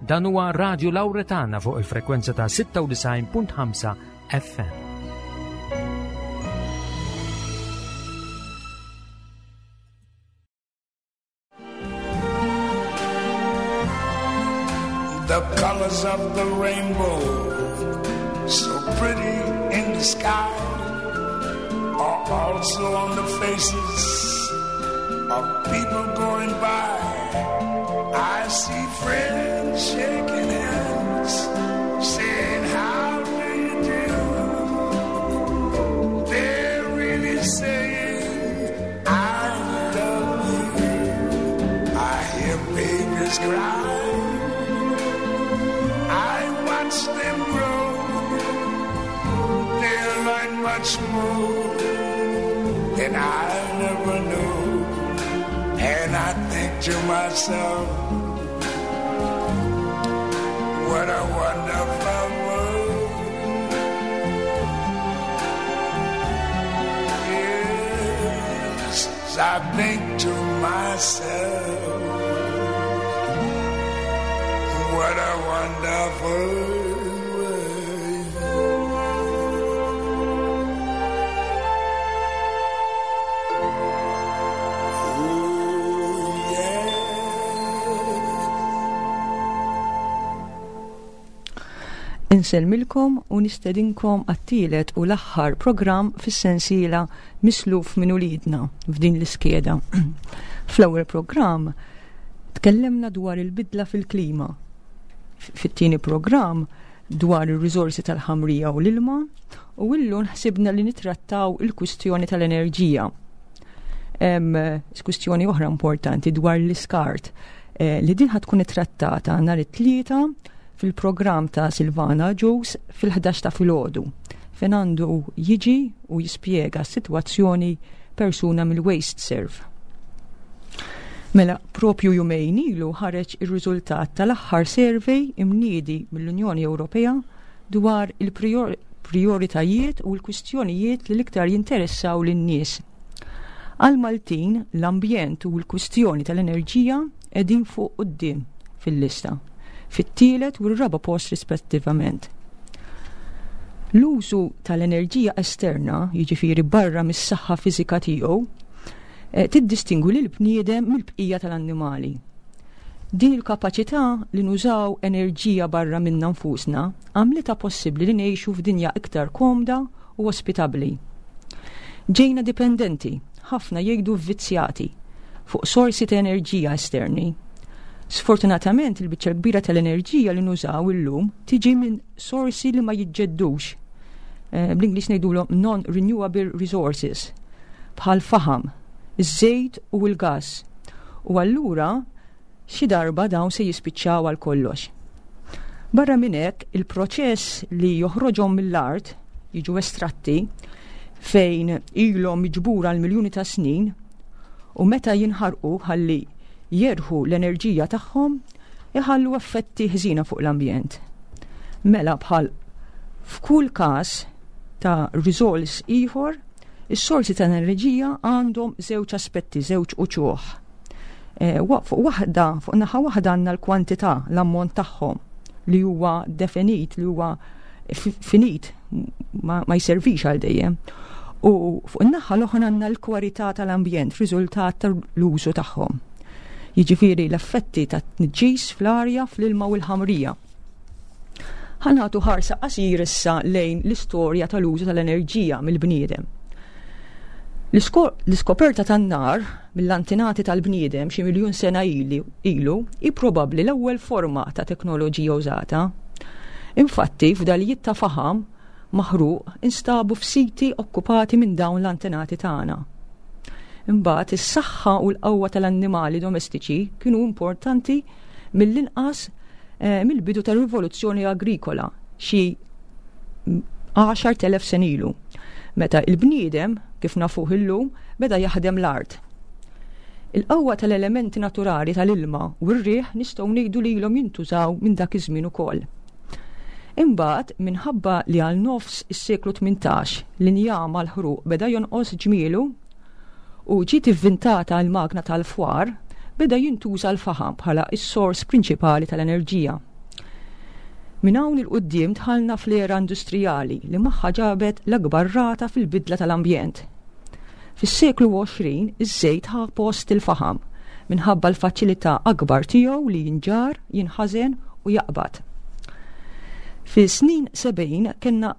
Dan huwa Radio Lauretana fuq il-frekwenza ta' 96.5 FM. The colors of the rainbow, so pretty in the sky, are also on the faces of people going by. I see friends shaking hands, saying, How do you do? They're really saying, I love you. I hear babies cry. I watch them grow. They'll learn much more than I never knew. And I think to myself, what a wonderful world. Yes, I think to myself, what a wonderful world. Ooh, yeah. Insellmilkom u nistedinkom għat-tielet u l-aħħar programm fis-sensiela Misluf minn uliedna f'din l-iskeda. Fl-ewwel programm tkellemna dwar il-bidla fil-klima. Fit-tieni programm dwar ir-riżorsi tal-ħamrija u l-ilma u illum ħsibna li nitrattaw il-kwistjoni tal-enerġija. Hemm kwistjoni oħra importanti dwar l-iskart eh, li din tkun ittrattata nhar it-tlieta fil-programm ta' Silvana Ġus fil-11 ta' filgħodu fejn għandu jiġi u jispjega s-sitwazzjoni persuna mill-Waste Serve. Mela, propju jumejn ilu ħareġ ir-riżultat tal-aħħar survey imniedi mill-Unjoni Ewropea dwar il-prioritajiet u l-kwistjonijiet li l-iktar jinteressaw lin-nies. Għal Maltin, l-ambjent u l-kwistjoni tal-enerġija qegħdin fuq quddiem fil-lista, fit-tielet u r-raba' post rispettivament. L-użu tal-enerġija esterna, jiġifieri barra mis-saħħa fiżika tiegħu, eh, tiddistingwi lil bniedem mill-bqija tal-annimali. Din il-kapaċità li nużaw enerġija barra minna nfusna għamlitha possibbli li ngħixu f'dinja iktar komda u ospitabbli. Ġejna dipendenti, ħafna jgħidu vvizzjati, fuq sorsi ta' enerġija esterni. Sfortunatament il-biċċa l-kbira tal-enerġija li nużaw illum tiġi minn sorsi li ma jiġġeddux. Eh, bl-Ingliż ngħidulhom non-renewable resources bħal faħam, iż-żejt u l-gass. U allura xi darba dawn se jispiċċaw għal kollox. Barra minn hekk, il-proċess li joħroġhom mill-art, jiġu estratti, fejn ilhom miġbura għal miljuni ta' snin, u meta jinħarqu ħalli jerħu l-enerġija tagħhom, iħallu effetti ħżiena fuq l-ambjent. Mela bħal f'kull każ ta' riżors ieħor, is-sorsi ta' enerġija għandhom żewġ aspetti, żewġ uċuħ. Eh, fuq waħda, fuq naħa waħda għandna l-kwantità, l-ammont tagħhom li huwa definit, li huwa finit, ma, ma jservix għal dejjem. U fuq in-naħa l-oħra għandna l-kwalità tal-ambjent, riżultat tal-użu tagħhom. Jiġifieri l-effetti ta' tniġġis fl-arja, fl-ilma u l-ħamrija. Ħa nagħtu ħarsa qasir issa lejn l-istorja tal-użu tal-enerġija mill-bniedem. L-iskoperta tan-nar mill-antenati tal-bniedem xi miljun sena ilu hi probabbli l-ewwel forma ta' teknoloġija użata. Infatti, fdalijiet ta' faħam maħruq instabu f'siti okkupati minn dawn l-antenati tagħna. Imbagħad is-saħħa u l-qawwa tal-annimali domestiċi kienu importanti mill-inqas eh, mill-bidu tar-rivoluzzjoni agrikola xi 10,000 sen ilu, meta il-bniedem, kif nafuh illum, beda jaħdem l-art. Il-qawwa tal-elementi naturali tal-ilma u r-riħ nistgħu ngħidu li ilhom jintużaw minn dak iż-żmien ukoll. Imbagħad, minħabba li għal nofs is-seklu 18 l-injam għall-ħruq beda jonqos ġmielu u ġiet ivvintata l-magna tal-fwar, beda jintuża l-faħam bħala s-sors prinċipali tal-enerġija. Minn hawn 'il quddiem dħalna fl-era industrijali li magħha ġabet l-akbar rata fil-bidla tal-ambjent. Fis-seklu 20 iż-żejt ħa post il-faħam minħabba l-faċilità akbar tiegħu li jinġarr, jinħażen u jaqbad. Fis-snin 70 kellna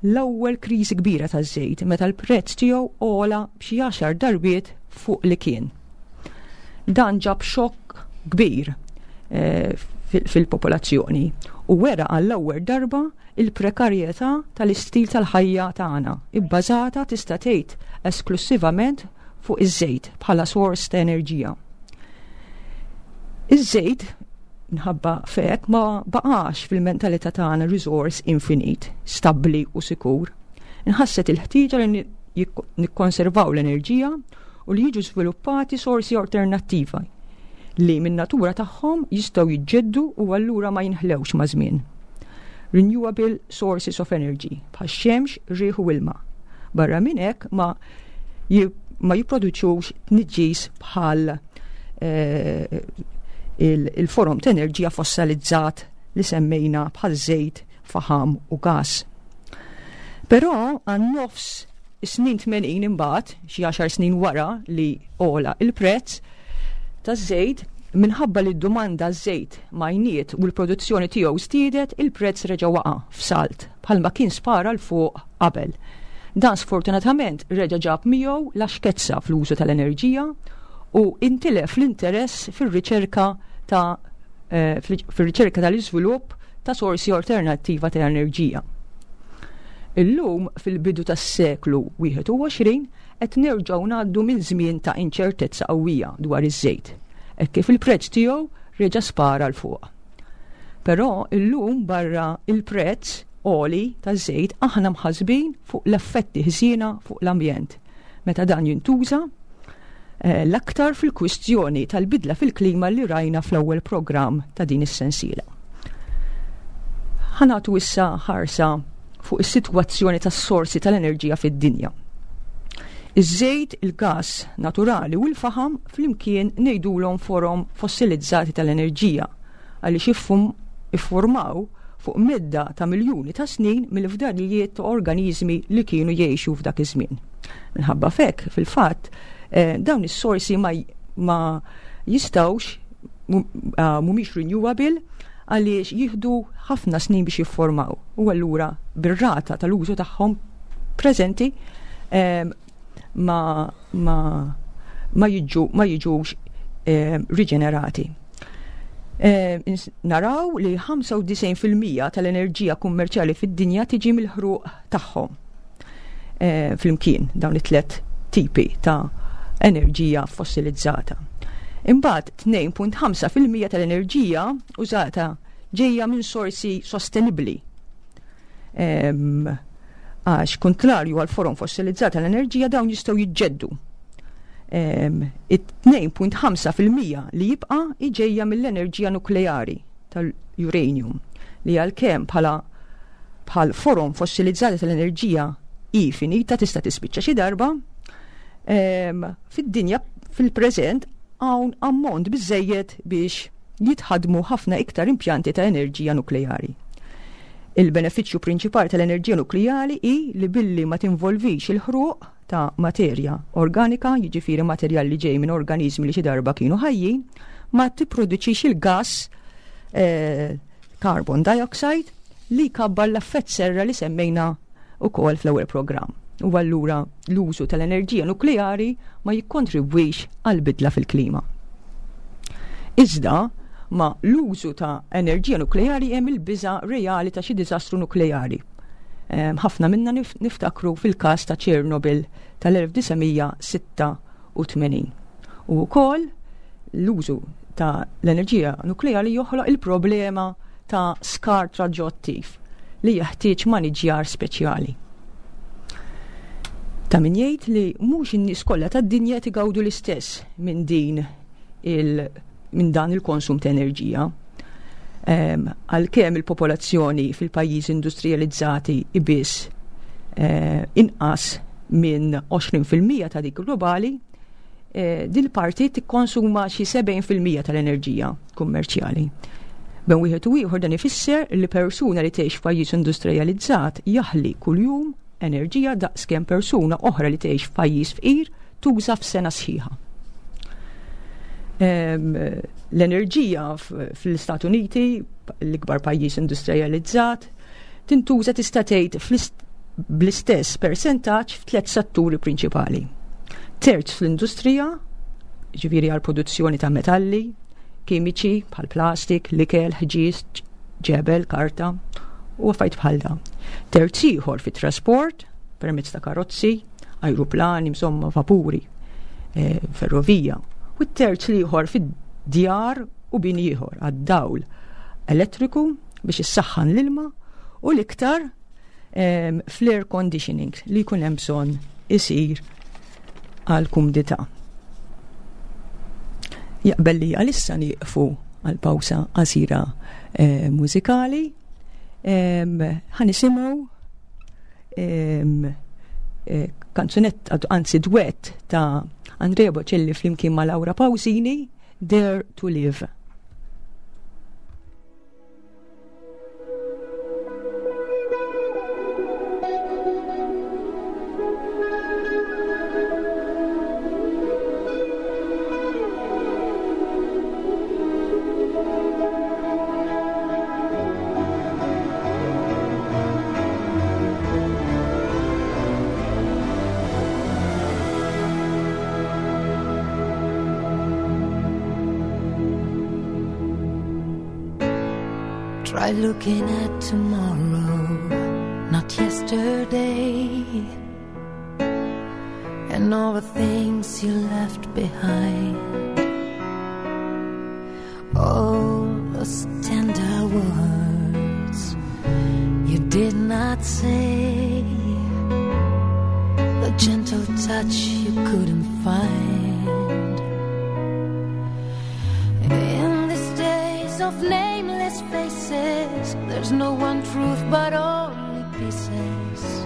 l-ewwel kriżi kbira taż-żejt meta l-prezz tiegħu għola b'xi għaxar darbiet fuq li kien. Dan ġab xokk kbir eh, fil-popolazzjoni u wera għall-ewwel darba il-prekarjetà tal-istil tal-ħajja tagħna, ibbażata tista' tgħid esklussivament fuq iż-żejt bħala sors ta' enerġija. Iż-żejt minħabba fek ma baqax fil-mentalità tagħna riżors infinit, stabbli u sikur. Inħasset il-ħtieġa li nikkonservaw l-enerġija u li jiġu żviluppati sorsi alternattiva li min-natura tagħhom jistgħu jiġġeddu u allura ma jinħlewx maż-żmien. Renewable sources of energy bħax-xemx, riħ u ilma. Barra minn hekk ma ma jipproduċux tniġġis bħal eh, il-forom ta' enerġija fossilizzat li semmejna bħal żejt, faħam u gas. Però għan nofs is-snin 80 imbagħad, xi għaxar snin wara li għola il-prezz taż-żejt, minħabba li d-domanda żejt majniet u l-produzzjoni tiegħu żdiedet, il-prezz reġa' waqa' f'salt bħalma kien spara 'l fuq qabel. Dan sfortunatament reġa' ġab miegħu laxkezza fl-użu tal-enerġija u intilef l-interess fir-riċerka ta' eh, fir-riċerka tal-iżvilupp ta' sorsi alternattiva ta' enerġija. Illum fil-bidu tas-seklu 21 qed nerġgħu ngħaddu minn żmien ta' inċertezza qawwija dwar iż-żejt, hekk kif il-prezz tiegħu reġa' spara 'l fuq. Però illum barra il-prezz għoli taż-żejt aħna mħassbin fuq l-effetti ħżiena fuq l-ambjent meta dan jintuża eh, l-aktar fil-kwistjoni tal-bidla fil-klima li rajna fl-ewwel programm ta' din is-sensiela. Ħanatu issa ħarsa fuq is-sitwazzjoni tas-sorsi tal-enerġija fid-dinja. Iż-żejt, il-gas naturali u l-faħam flimkien ngħidulhom forom fossilizzati tal-enerġija għaliex iffurmaw fuq medda ta' miljuni ta' snin mill-fdalijiet ta' organiżmi li kienu jgħixu f'dak iż-żmien. Minħabba f'hekk, fil-fatt, eh, dawn is-sorsi ma, ma jistgħux ah, mhumiex renewable għaliex jieħdu ħafna snin biex jiffurmaw u allura bir-rata tal-użu tagħhom preżenti eh, ma, ma, ma, jiġu, ma jiġux eh, riġenerati. Eh, naraw li 95% tal-enerġija kummerċjali fid-dinja tiġi mill-ħruq tagħhom. Eh, flimkien dawn it-tlet tipi ta' enerġija fossilizzata. Imbagħad 2.5% tal-enerġija użata ġejja minn sorsi sostenibbli. Għax kontrarju għal forom fossilizzata l-enerġija dawn jistgħu jiġġeddu. It-2.5% li jibqa' ġejja mill-enerġija nukleari tal-uranium li għalkemm bħala bħal forom fossilizzati tal-enerġija hi finita tista' tispiċċa xi darba, fid-dinja fil-preżent hawn ammont biżejjed biex jitħaddmu ħafna iktar impjanti ta' enerġija nukleari. Il-benefiċċju prinċipali tal-enerġija nukleari hi li billi ma tinvolvix il-ħruq ta' materja organika, jiġifieri materjal li ġej minn organiżmi li xi darba kienu ħajjin, ma tipproduċix il-gass eh, carbon dioxide li jkabbar l-effett serra li semmejna ukoll fl-ewwel programm. U allura l-użu tal-enerġija nukleari ma jikkontribwix għal bidla fil-klima. Iżda, ma l-użu ta' enerġija nukleari hemm il-biża reali ta' xi diżastru nukleari. Ehm, ħafna minna niftakru fil-każ ta' Chernobyl tal-1986. U wkoll l-użu ta' l-enerġija nukleari joħloq il-problema ta' skart radjoattiv li jeħtieġ maniġjar speċjali. Ta' min jgħid li mhux in-nies kollha tad-dinja qed igawdu l-istess minn din il minn dan il-konsum ta' enerġija. Għalkemm il-popolazzjoni fil-pajjiżi industrijalizzati ibiss eh, inqas minn 20% ta' dik globali, eh, din parti tikkonsuma xi 70% tal-enerġija kummerċjali. Bejn wieħed u ieħor dan ifisser li persuna li tgħix f'pajjiż industrijalizzat jaħli kuljum enerġija daqs kemm persuna oħra li tgħix f'pajjiż fqir tuża f'sena sħiħa. L-enerġija fl-Istati Uniti, l-ikbar pajjiż industrijalizzat, tintuża tista' tgħid bl-istess persentaġġ f'tliet setturi prinċipali. Terz fl-industrija, ġifieri għal produzzjoni ta' metalli, kimiċi bħal plastik, l-ikel, ħġieġ, ġebel, karta u affarijiet bħal dawn. Terz ieħor fit-trasport permezz ta' karozzi, ajruplani, insomma, vapuri, eh, ferrovija. U t-terz l-ieħor fid-djar u bini ieħor għad-dawl elettriku biex issaħħan l-ilma u l-iktar fl-air conditioning li jkun hemm bżonn isir għal kumdità. Jaqbel li għalissa nieqfu għal pawsa qasira eh, mużikali. Ħa nisimgħu eh, kanzunett, anzi duett ta' Andrea Bocelli flimkien ma' Laura Pausini, Dare to Live. Try looking at tomorrow, not yesterday, and all the things you left behind. All those tender words you did not say, the gentle touch you couldn't find. In these days of nameless faces, there's no one truth but only pieces.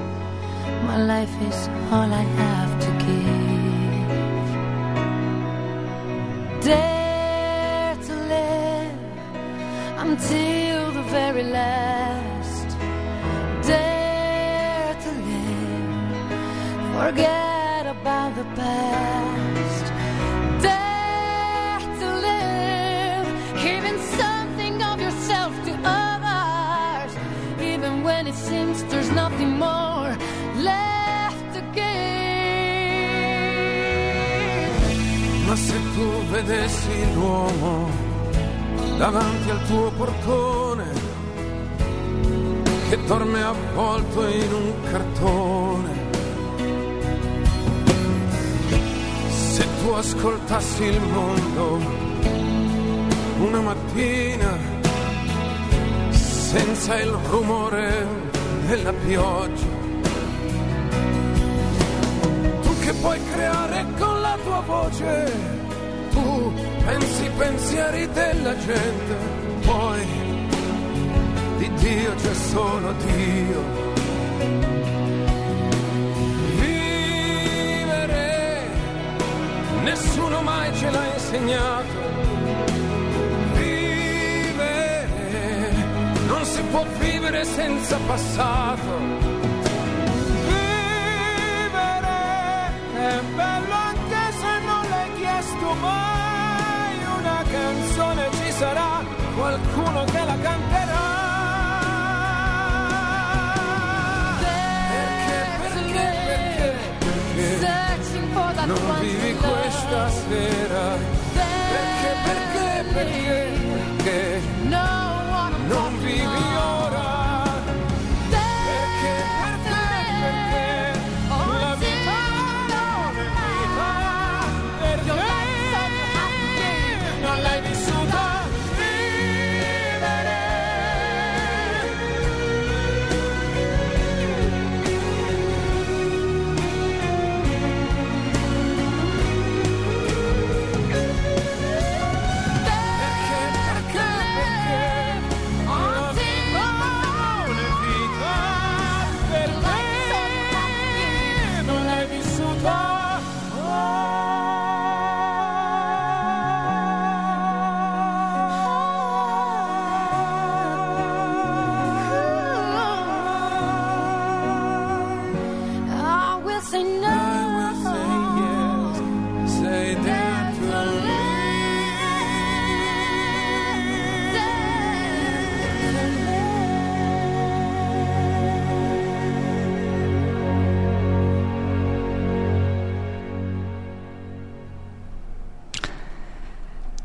My life is all I have to give. Dare to live until the very last. Dare to live, forget about the past. Dare to live, giving something of yourself to others, even when it seems there's nothing more left to give. Ma se tu vedessi l'uomo davanti al tuo portone, che dorme avvolto in un cartone, se tu ascoltassi il mondo una mattina senza il rumore della pioggia, tu che puoi creare con la tua voce, tu pensi i pensieri della gente, poi di Dio c'è solo Dio. Vivere, nessuno mai ce l'ha insegnato. Vivere, non si può vivere senza passato. Vivere è bello anche se non l'hai chiesto mai. Una canzone ci sarà, qualcuno che la canterà. Perché, perché, perché, perché Searching for that non one vivi to love. questa sera? Perché, perché, perché, perché No one non vivi ora? Perché, perché, perché la vita non è vita? Perché non l'hai vissuta? Vivere.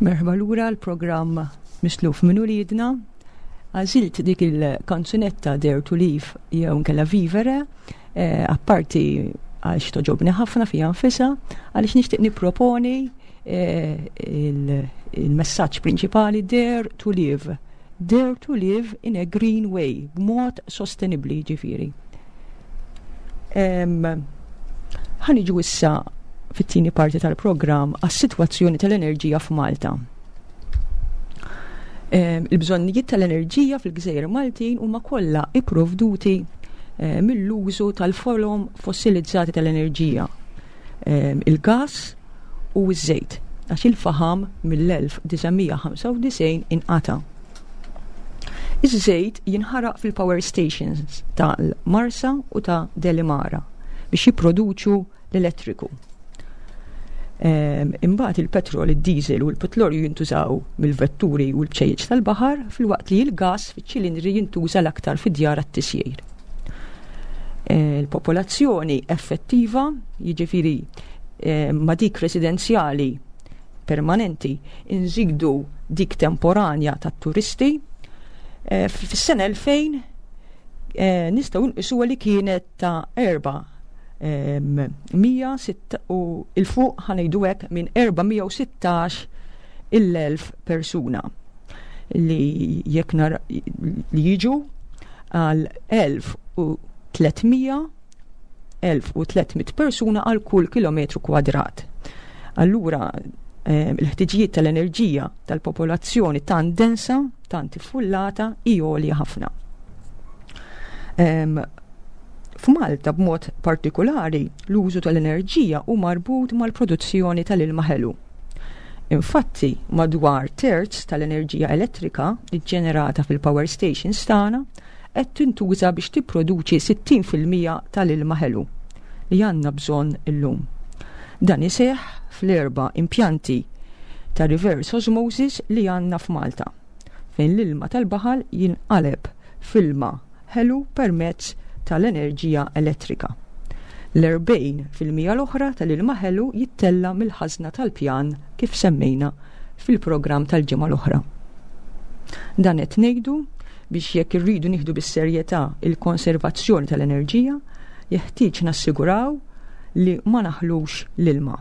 Merħba lura l-programm Misluf minn uliedna. Għażilt dik il-kanzunetta Dare to Live jew nkella Vivere, eh, apparti għax toġobni ħafna fija nfisha, għaliex nixtieq nipproponi eh, il-messaġġ prinċipali Dare to Live. Dare to live in a green way, b'mod sostenibli ġifieri. Ħaniġu issa fit-tieni parti tal-programm għas-sitwazzjoni tal-enerġija f'Malta. Il-bżonnijiet tal-enerġija fil-Gżejjer Maltin huma kollha ipprovduti eh, mill-użu tal-forom fossilizzati tal-enerġija, il-gas u ż-żejt, għax il-faħam mill-1995 inqata'. Iż-żejt jinħaraq fil-power stations tal-Marsa u ta' Delimara biex jipproduċu l-elettriku. Ehm, imbagħad il-petrol, id-diesel u l-petrolju jintużaw mill-vetturi u l-bċejjeċ tal-baħar filwaqt li l-gas fiċ-ċilindri jintuża l-aktar fid-djar għat-tisjir. Eh, il-popolazzjoni effettiva, jiġifieri eh, ma dik residenzjali permanenti, inżidu dik temporanja tat-turisti. Eh, fis-sena 2000 nistgħu nqisuha li kienet ta' 406 u il-fuq ħanejdu hekk minn 416 il-elf persuna li jekk li jiġu għal 1300 1300 persuna għal kull kilometru kwadrat. Allura eh, il-ħtiġijiet tal-enerġija tal-popolazzjoni tant densa, tant iffullata, hi għolja ħafna. F'Malta b'mod partikulari l-użu tal-enerġija hu marbut mal-produzzjoni tal-ilma ħelu. Infatti, madwar terz tal-enerġija elettrika ġġenerata fil-power stations tagħna qed tintuża biex tipproduċi 60% tal-ilma ħelu li għandna bżonn illum. Dan iseħħ fl-erba' impjanti ta' reverse osmosis li għandna f'Malta, fejn l-ilma tal-baħar jinqaleb f'ilma ħelu permezz tal-enerġija elettrika. L-40% l-oħra tal-ilma ħelu jittella' mill-ħażna tal-pjan kif semmejna fil-programm tal-ġimgħa l-oħra. Dan qed ngħidu biex jekk irridu nieħdu bis-serjetà il-konservazzjoni tal-enerġija, jeħtieġ nassiguraw li ma naħlux l-ilma.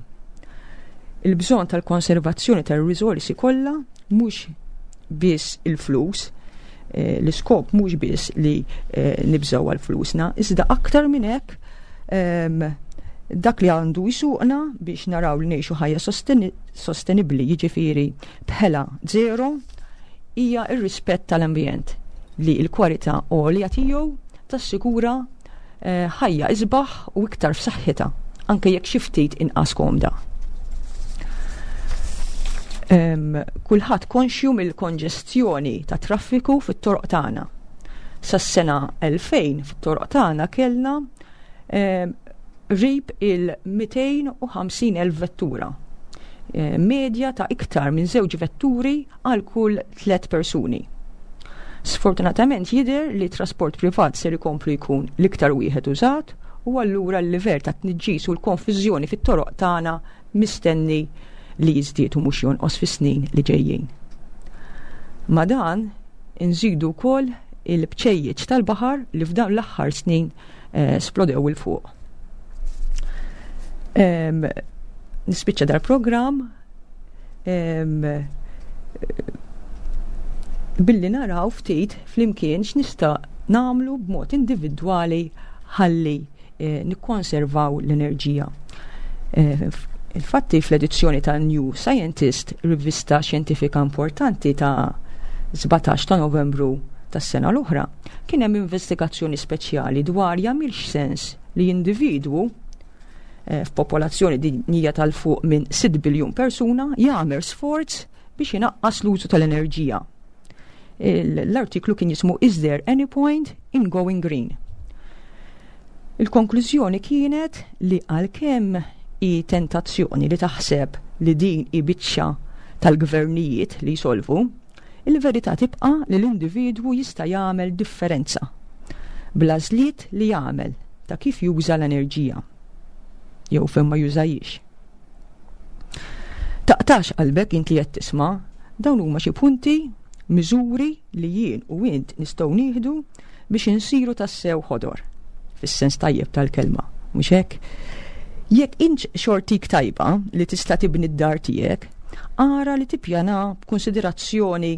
Il-bżonn tal-konservazzjoni tar-riżorsi kollha mhux biss il-flus, eh, l-iskop mhux biss li eh, nibżgħu għal flusna, iżda aktar minn hekk ehm, dak li għandu jisuqna biex naraw li ngħixu ħajja sostenibbli, jiġifieri bħela zero, hija r-rispett tal-ambjent li l-kwalità għolja tiegħu tassikura eh, ħajja isbaħ u iktar f'saħħitha, anke jekk xi ftit inqas komda. Kulħadd konxju mill-konġestjoni ta' traffiku fit-toroq tagħna. Sas-sena 2000 fit-toroq tagħna kellna qrib il-250,000 vettura. Medja ta' iktar minn żewġ vetturi għal kull tliet persuni. Sfortunatament jidher li trasport privat ser ikomplu jkun l-iktar wieħed użat u allura l-livell ta' tniġġis u l-konfużjoni fit-toroq tagħna mistenni li jiżdied u mhux jonqos fis-snin li ġejjin. Ma' dan inżidu wkoll il-bċejjeċ tal-baħar li f'dawn l-aħħar snin eh, splodew il fuq. Nispiċċa dal-programm billi naraw ftit flimkien x'nista' nagħmlu b'mod individwali ħalli eh, nikkonservaw l-enerġija. Eh, infatti fl-edizzjoni ta' New Scientist, rivista xjentifika importanti ta' 17 ta' Novembru tas-sena l-oħra, kien hemm investigazzjoni speċjali dwar jagħmilx sens li individwu eh, f'popolazzjoni dinjija tal-fuq minn 6 biljun persuna jagħmel sforz biex inaqqas l-użu tal-enerġija. L-artiklu kien jismu Is there any point in going green? Il-konklużjoni kienet li għalkemm hi tentazzjoni li taħseb li din hi biċċa tal-gvernijiet li jsolvu, il-verità tibqa' li l-individwu jista' jagħmel differenza bl-għażliet li jagħmel ta' kif juża l-enerġija jew fejn ma jużahiex. Taqtax qalbek int li qed tisma', dawn huma xi punti, miżuri li jien u int nistgħu nieħdu biex insiru tassew ħodor, fis-sens tajjeb tal-kelma, mhux hekk? Jekk int xortik tajba li tista' tibni d-dar tiegħek, ara li tippjana b'kunsiderazzjoni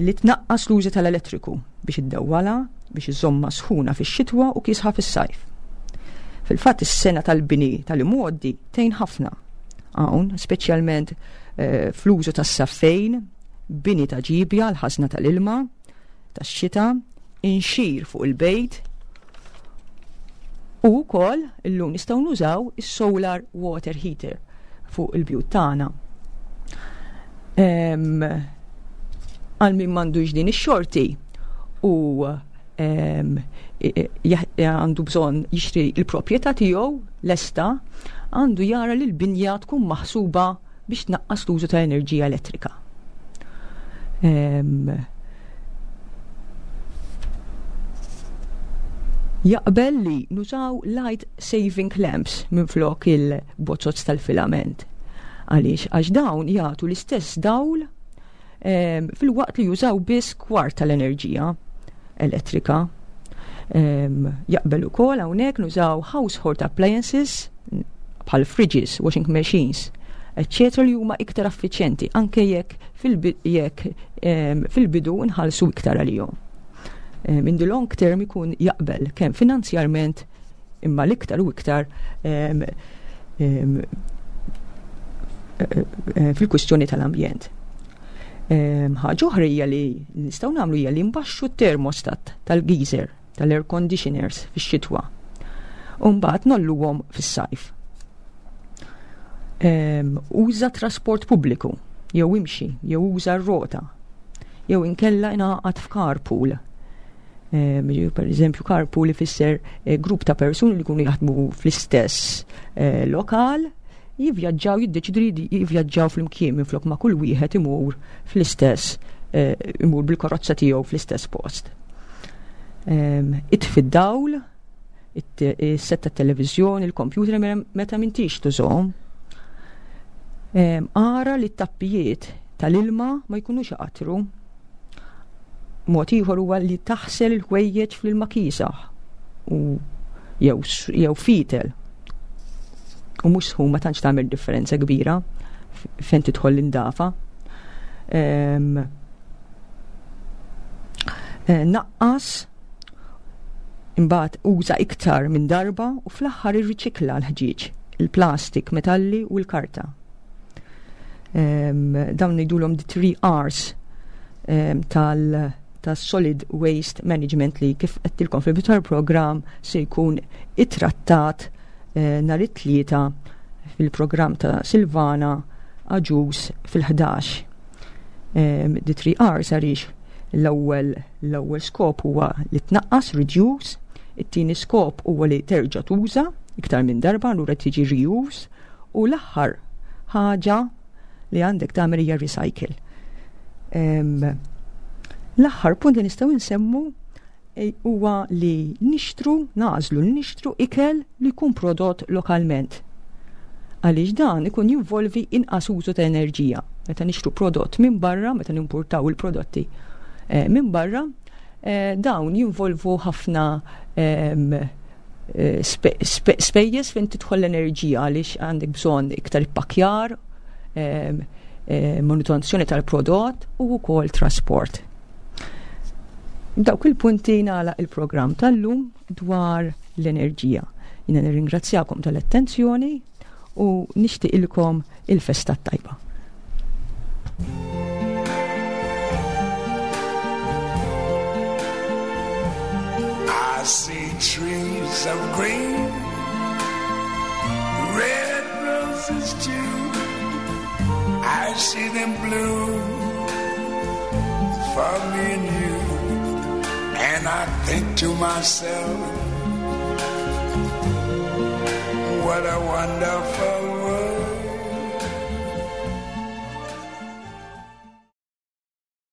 li tnaqqas l-użu tal-elettriku biex iddewwalha, biex iżżommha sħuna fix-xitwa u kiesħa fis-sajf. Fil-fatt is-sena tal-bini tal-imgħoddi tgħin ħafna hawn, speċjalment eh, fl-użu tas-saffejn, bini ta' ġibja l-ħażna tal-ilma, tax-xita, inxir fuq il-bejt, u wkoll illum nistgħu nużaw is-solar water heater fuq il-bjut tagħna. Għal min m'għandux din ix-xorti u għandu bżonn jixtri l-proprjetà tiegħu lesta, għandu jara li l-binja tkun maħsuba biex tnaqqas l-użu ta' enerġija elettrika. Jaqbel li nużaw light saving lamps minflok il-bozzozz tal-filament. Għaliex? Għax dawn jagħtu l-istess dawl filwaqt li jużaw biss kwart tal-enerġija elettrika. Jaqbel ukoll hawnhekk nużaw household appliances bħal fridges, washing machines, eccetera li huma iktar affiċjenti anke jekk fil-bidu nħallsu iktar għalihom. In the long term ikun jaqbel kemm finanzjarment imma l-iktar u iktar fil-kwistjoni tal-ambjent. Ħaġa oħra hija li nistgħu nagħmlu hija li nbaxxu t-termostat tal-geyser, tal-air conditioners fix-xitwa. U mbagħad nolluhom fis-sajf. Uża trasport pubbliku, jew imxi, jew uża r-rota, jew inkella ingħaqad f'carpool. Per eżempju, carpool ifisser eh, grupp ta' persuni li jkunu jaħdmu fl-istess eh, lokal, jivvjaġġaw, jiddeċidu li jivvjaġġaw flimkien minflok ma' kull wieħed imur fl-istess eh, imur bil-karozza tiegħu fl-istess post. Itfi d-dawl, is-set tat-televiżjoni, il-kompjuter meta m'intix tużhom. Ara li t-tappijiet tal-ilma ma jkunux iqattru. Mod ieħor huwa li taħsel il-ħwejjeġ fl-ilma kiesaħ u jew jew fitel. U mhux sħun ma tantx tagħmel differenza kbira fejn tidħol l-indafa. Eh, naqqas imbagħad uża iktar minn darba u fl-aħħar irriċikla l-ħġieġ, il-plastik, metalli u l-karta. Dawn ngħidulhom the three R's tal ta' Solid Waste Management li kif għedtilkom fil-bidu tal-programm se jkun ittrattat eh, nhar it-tlieta fil-programm ta' Silvana Aġus fil-11. The three R's għaliex l-ewwel l-ewwel skop huwa li tnaqqas reduce, it-tieni skop huwa li terġa' tuża iktar minn darba allura tiġi reuse u l-aħħar ħaġa li għandek tagħmel hija recycle. L-aħħar punt li nistgħu nsemmu e, huwa li nixtru, nagħżlu li nixtru ikel li jkun prodott lokalment. Għaliex dan ikun jinvolvi inqas użu ta' enerġija. Meta nixtru prodott minn barra, meta nimportaw il-prodotti eh, minn barra, eh, dawn jinvolvu ħafna Eh, spejjeż fejn tidħol l-enerġija għaliex għandek bżonn iktar ippakkjar, eh, manutenzjoni tal-prodott u wkoll trasport. Dawk il-punti nagħlaq il-programm tal-lum dwar l-enerġija. Jiena nirringrazzjakom tal-attenzjoni u nixtieqilkom il-festa tajba. I see trees of green, red roses too. I see them bloom for me and you. And I think to myself, what a wonderful